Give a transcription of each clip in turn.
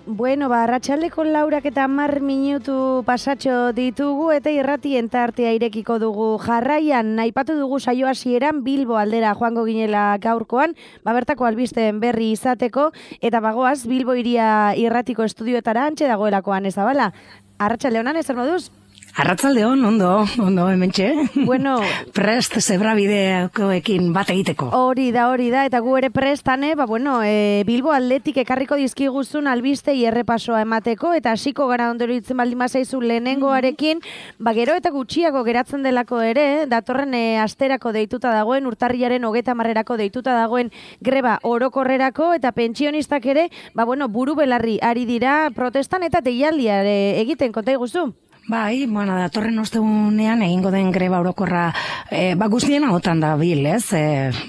Bueno, arratsaldeko 10:10 pasatxo ditugu eta irratien tartea irekiko dugu. Jarraian, aipatu dugu saio hasieran Bilbo aldera joango ginela gaurkoan, bertako albisteen berri izateko, eta bagoaz Bilbo hiria irratiko estudioetara antxe dagoelakoan ez abala. Arratsalde honan, ezer moduz? Arratsalde hon, ondo hementxe. Bueno, prest zebrabidekoekin bat egiteko. Hori da, eta gu ere prestane, Bilbo aldetik ekarriko dizkiguzun albistei errepasoa emateko, eta hasiko gara ondoro itzen baldin bazaizu lehenengoarekin, gero eta gutxiago geratzen delako ere, datorren asterako deituta dagoen, urtarriaren 30erako deituta dagoen greba orokorrerako, eta pentsionistak ere, buru belarri ari dira protestan eta deialdia egiten, konta iguzu? Bai, datorren ostegunean egingo den greba orokorra guztien ahotan da bil, ez?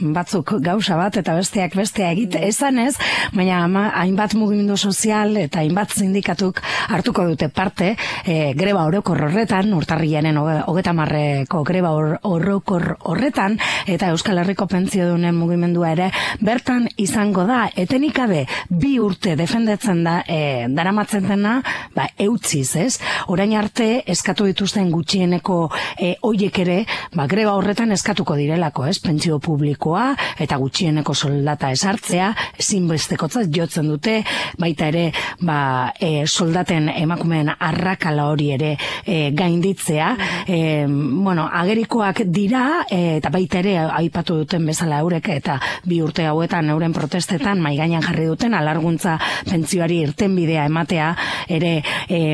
Batzuk gauza bat eta besteak bestea egite esanez, baina hainbat mugimendu sozial eta hainbat sindikatuk hartuko dute parte greba orokor horretan, urtarrilaren 30erako greba orokor horretan, eta Euskal Herriko pentsiodunen mugimendua ere bertan izango da, etenik gabe 2 urte defendatzen da daramatzen dena, eutziz, ez? Orain arte eskatu dituzten gutxieneko hoiek ere, greba horretan eskatuko direlako, ez? Pentsio publikoa eta gutxieneko soldata esartzea, ezinbestekotzat jotzen dute, baita ere, soldaten emakumeen arrakala hori ere gainditzea. Agerikoak dira, eta baita ere, aipatu duten bezala eurek, eta 2 urte hauetan euren protestetan maigainan jarri duten, alarguntza pentsioari irtenbidea ematea ere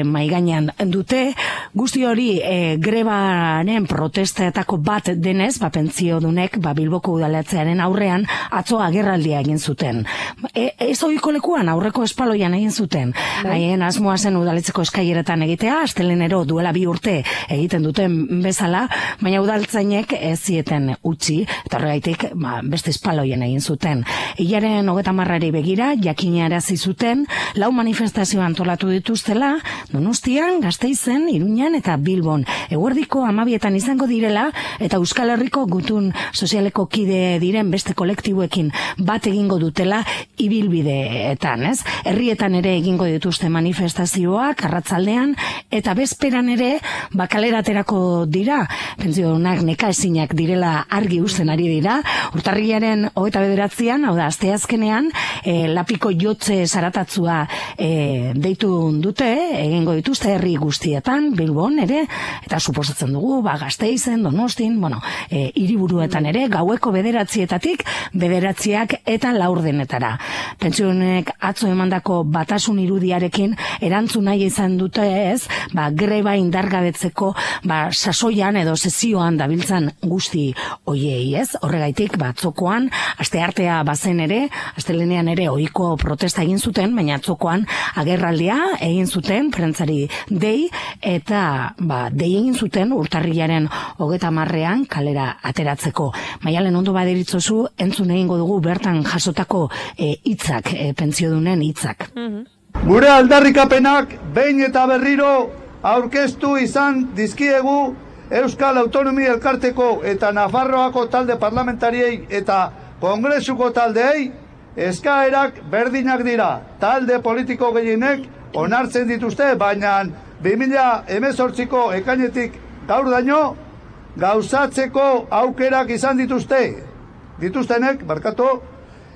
maigainan dute. Guzti hori grebaren protestetako bat denez, pentsiodunek Bilboko udaletxearen aurrean atzo agerraldia egin zuten. Ez ohiko lekuan, aurreko espaloian egin zuten. Haien asmoa zen udaletxeko eskaileretan egitea, astelenero duela 2 urte egiten duten bezala, baina udaltzainek ez zieten utzi, eta horregaitik beste espaloien egin zuten. Hilaren 30erari begira, jakinarazi zuten, 4 manifestazio antolatu dituztela, Donostian, Gasteizen, Iruñan eta Bilbon. Eguerdiko 12etan izango direla, eta Euskal Herriko gutun sozialeko kide diren beste kolektiboekin bat egingo dutela ibilbideetan, ez? Herrietan ere egingo dituzte manifestazioak, arratsaldean, eta bezperan ere, kaleraterako dira, pentsiodunak nekaezinak direla argi uzten ari dira, urtarrilaren 29ean, hau da, asteazkenean, lapiko jotze zaratatzua deitu dute, egingo dituzte herri guztietan, Bilbon ere, eta suposatzen dugu, Gasteizen, Donostin, hiriburuetan ere, gaueko 9:00 9:00 eta 4:00. Pentsiodunek atzo emandako batasun irudiarekin erantzun nahi izan dute ez, greba indargabetzeko sasoian edo sesioan dabiltzan guzti hoiei, ez? Horregaitik atzokoan, asteartea bazen ere, astelenean ere ohiko protesta egin zuten, baina atzokoan agerraldia egin zuten, prentsari dei, eta dei egin zuten urtarrilaren 30ean kalera ateratzeko. Maialen ondo baderitzozu, entzun egingo dugu bertan jasotako hitzak, pentsiodunen hitzak. Gure aldarrikapenak behin eta berriro aurkeztu izan dizkiegu Euskal Autonomia Elkarteko eta Nafarroako talde parlamentariei eta Kongresuko taldeei eskaerak berdinak dira. Talde politiko gehienek onartzen dituzte, baina 2018ko ekainetik gaur daño gauzatzeko aukerak izan dituztenek,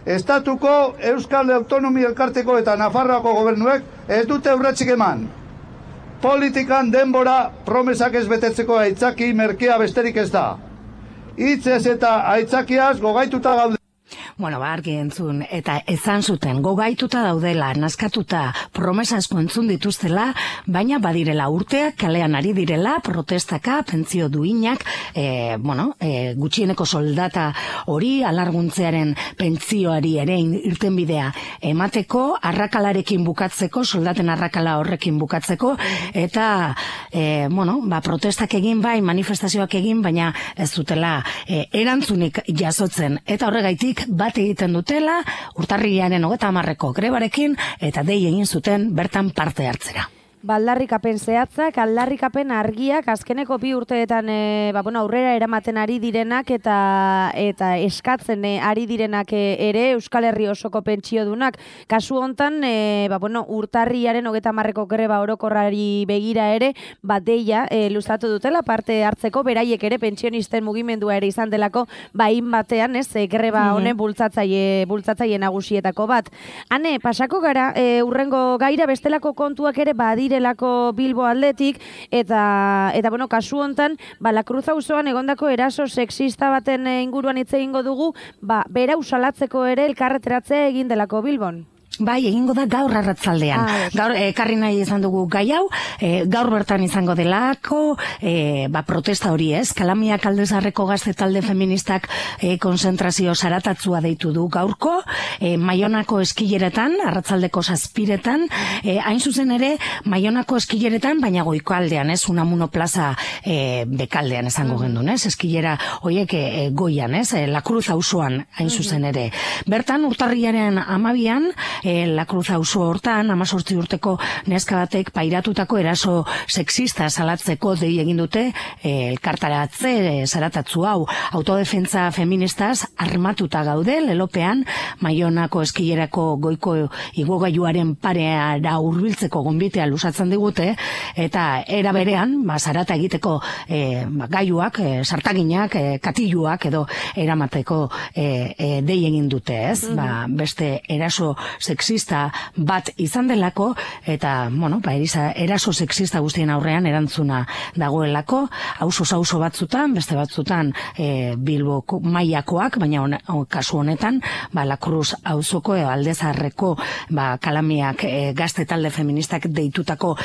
Estatuko Euskal Autonomia Elkarteko eta Nafarroako gobernuek ez dute urratsik eman. Politikan denbora promesak ez betetzeko aitzaki merkea besterik ez da. Hitzez eta aitzakiaz gogaituta gaude. Argi entzun, eta ezan zuten, gogaituta daudela, naskatuta, promesa asko entzun dituztela, baina badirela urteak, kalean ari direla, protestaka, pentsio duinak, gutxieneko soldata hori, alarguntzearen pentsioari ere irtenbidea emateko, arrakalarekin bukatzeko, soldaten arrakala horrekin bukatzeko, eta, protestak egin bai, manifestazioak egin, baina ez dutela erantzunik jasotzen, eta horregaitik bat egiten dutela urtarrilaren 30erako grebarekin eta dei egin zuten bertan parte hartzera. Aldarrikapen zehatzak, aldarrikapen argiak, azkeneko 2 urteetan aurrera eramaten ari direnak eta eskatzen ari direnak ere Euskal Herri osoko pentsiodunak. Kasu hontan, urtarriaren 30ko greba orokorrari begira ere, deia luzatu dutela parte hartzeko, beraiek ere pentsionisten mugimendua ere izan delako, batean, greba honen bultzatzaile nagusietako bat. Hane, pasako gara, urrengo gaira bestelako kontuak ere badirelako Bilbo aldetik, eta kasu hontan, La Cruz auzoan egondako eraso sexista baten inguruan hitz egingo dugu, berau salatzeko ere elkarreteratzea egin delako Bilbon. Bai, egingo da gaur arratzaldean. Gaur, ekarri nahi izan dugu gai hau, gaur bertan izango delako, protesta hori ez, Kalamiak Aldezarreko Gazte Talde Feministak konzentrazio zaratatzua deitu du gaurko, Maionako eskileretan, arratzaldeko 7:00, hain zuzen ere, Maionako eskileretan, baina goikoaldean, ez, Unamuno plaza bekaldean esango gendun, ez, eskilera horiek goian, ez, La Cruz auzoan hain zuzen ere. Bertan, urtarriaren 12an, La Cruz auzo hortan, 18 urteko neska batek pairatutako eraso sexista salatzeko dei egin dute elkartaratze zaratatzu hau. Autodefentza feministaz armatuta gaude, lelopean, Maionako eskilerako goiko igogailuaren pareara hurbiltzeko gonbitea luzatzen digute, eta era berean, zarata egiteko gailuak, sartaginak, katiluak edo eramateko dei egin dute, ez? Beste eraso sexista bat izan delako, eta, eraso sexista guztien aurrean erantzuna dagoelako, auzo batzutan, beste batzutan Bilbo mailakoak, baina kasu honetan, La Cruz auzoko Aldezarreko Kalamiak Gazte Talde Feministak deitutako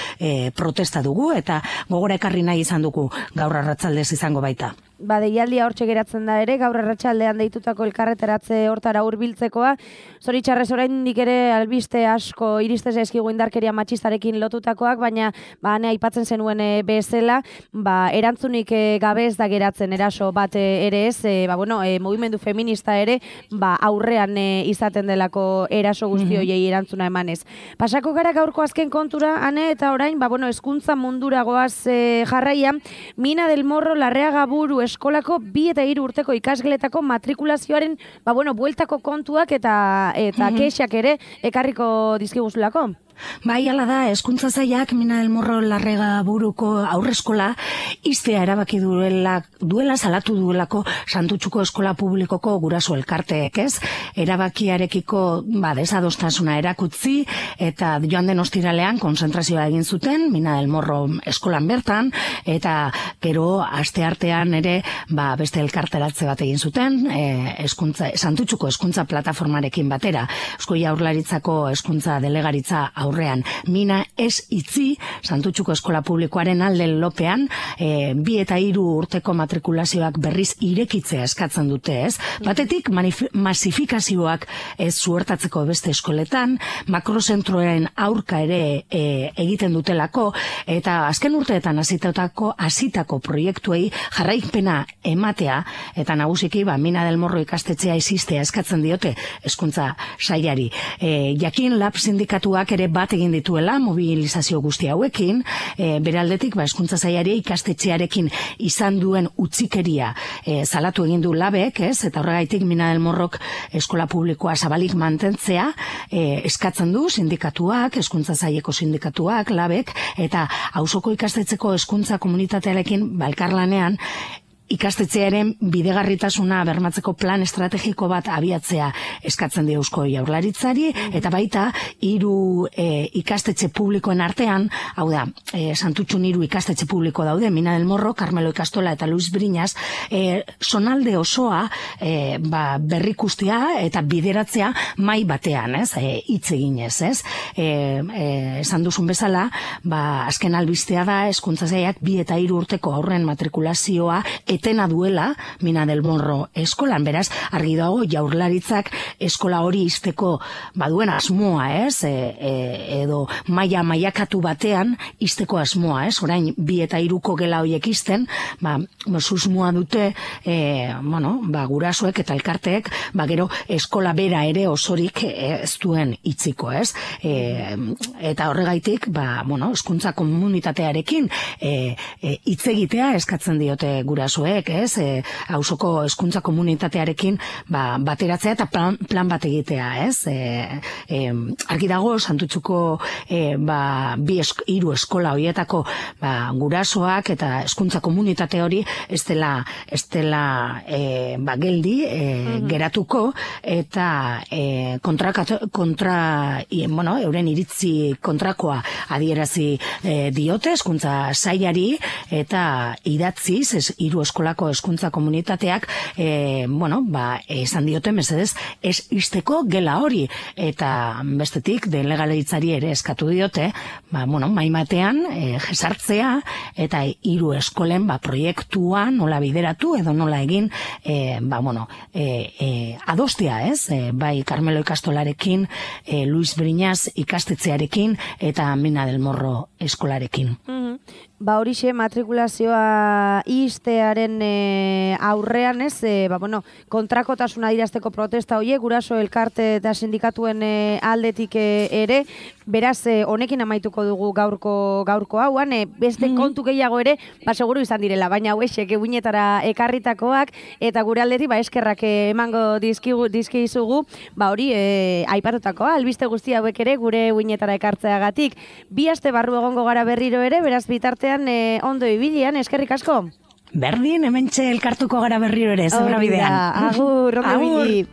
protesta dugu, eta gogora ekarri nahi izan dugu gaur arratzaldez izango baita. Deialdia hortxe geratzen da ere, gaur arratsaldean deitutako elkarreteratze hortara hurbiltzekoa. Zoritxarrez oraindik ere albiste asko iriste zaizkigu indarkeria matxistarekin lotutakoak, baina hane aipatzen zenuen bezala, erantzunik gabe ez da geratzen eraso bat ere ez, mugimendu feminista ere, aurrean izaten delako eraso guzti horiei erantzuna emanez. Pasako gara gaurko azken kontura, hane, eta orain, hezkuntza mundura goaz jarraian, Mina del Morro Larreaga Buru eskolako 2 eta 3 urteko ikasgeletako matrikulazioaren, bueltako kontuak eta kexak ere ekarriko dizkiguzulako. Bai, hala da, Hezkuntza Sailak Mina del Morro Larreaga Buruko aurreskola iztea erabaki duela salatu duelako Santutxuko Eskola Publikoko guraso elkarteek, ez? Erabakiarekiko desadostasuna erakutzi, eta joan den ostiralean konzentrazioa egin zuten Mina del Morro eskolan bertan, eta gero asteartean ere beste elkarteratze bat egin zuten, Santutxuko Hezkuntza Plataformarekin batera, Eusko Jaurlaritzako Hezkuntza Delegaritza aurrean. Mina ez itzi, Santutxuko Eskola Publikoaren alde lopean, 2 eta 3 urteko matrikulazioak berriz irekitzea eskatzen dute, ez? Batetik, masifikazioak ez zuertatzeko beste eskoletan, makrozentroen aurka ere egiten dutelako, eta azken urteetan hasitako proiektuei jarraipena ematea, eta nagusiki, Mina del Morro ikastetxea existea eskatzen diote Hezkuntza Sailari. Jakin Lab sindikatuak ere bat egin dituela mobilizazio guzti hauekin, bere aldetik Hezkuntza Sailari ikastetxearekin izan duen utzikeria salatu egin du Labek, ez? Eta horregaitik Mina del Morrok eskola publikoa zabalik mantentzea eskatzen du sindikatuak, Hezkuntza Saileko sindikatuak, Labek, eta auzoko ikastetxeko hezkuntza komunitatearekin elkarlanean ikastetxearen bidegarritasuna bermatzeko plan estrategiko bat abiatzea eskatzen dio Eusko Jaurlaritzari, eta baita 3 ikastetxe publikoen artean, hau da, Santutxun 3 ikastetxe publiko daude, Mina del Morro, Carmelo Ikastola eta Luis Briñas, zonalde osoa berrikustea eta bideratzea mai batean, ez? Hitz eginez, ez? Esan duzun bezala, azken albistea da Hezkuntza Sailak 2 eta 3 urteko aurren matrikulazioa etena duela Mina del Morro eskolan, beraz, argi dago jaurlaritzak eskola hori izteko baduen asmoa, ez? Edo mailakatu batean izteko asmoa, ez? Orain, 2 eta 3ko gela horiek izten, susmoa dute, gurasoek eta elkarteek, gero eskola bera ere osorik ez duen itziko, ez? Eta horregaitik, hezkuntza komunitatearekin hitz egitea eskatzen diote gurasoek, ez? Auzoko hezkuntza komunitatearekin bateratzea eta plan bat egitea, ez? Argi dago, Santutxuko 2-3 eskola horietako gurasoak eta hezkuntza komunitate hori ez dela geldi geratuko eta euren iritzi kontrakoa adierazi diote hezkuntza sailari eta idatziz 3 eskolako hezkuntza komunitateak esan diote mesedez ez izteko gela hori eta bestetik delegalitzari ere eskatu diote maimatean jesartzea eta 3 eskolen proiektua nola bideratu edo nola egin adostea, ez? Bai Carmelo ikastolarekin, Luis Briñas ikastetxearekin eta Mina del Morro eskolarekin. Horixe matrikulazioa ixtearen aurrean, ez? Kontrakotasuna adierazteko protesta horiek, guraso elkarte eta sindikatuen aldetik ere, beraz, honekin amaituko dugu gaurko hauan, beste kontu gehiago ere, seguru izan direla, baina hauexek eguinetara ekarritakoak, eta gure aldetik eskerrak emango dizkizugu, hori aipatutakoa, albiste guzti hauek ere gure eguinetara ekartzeagatik. 2 aste barru egongo gara berriro ere, beraz bitartean ondo ibilian, eskerrik asko. Berdin, hementxe elkartuko gara berriro ere, zebra bidean. Agur, ondo ibili.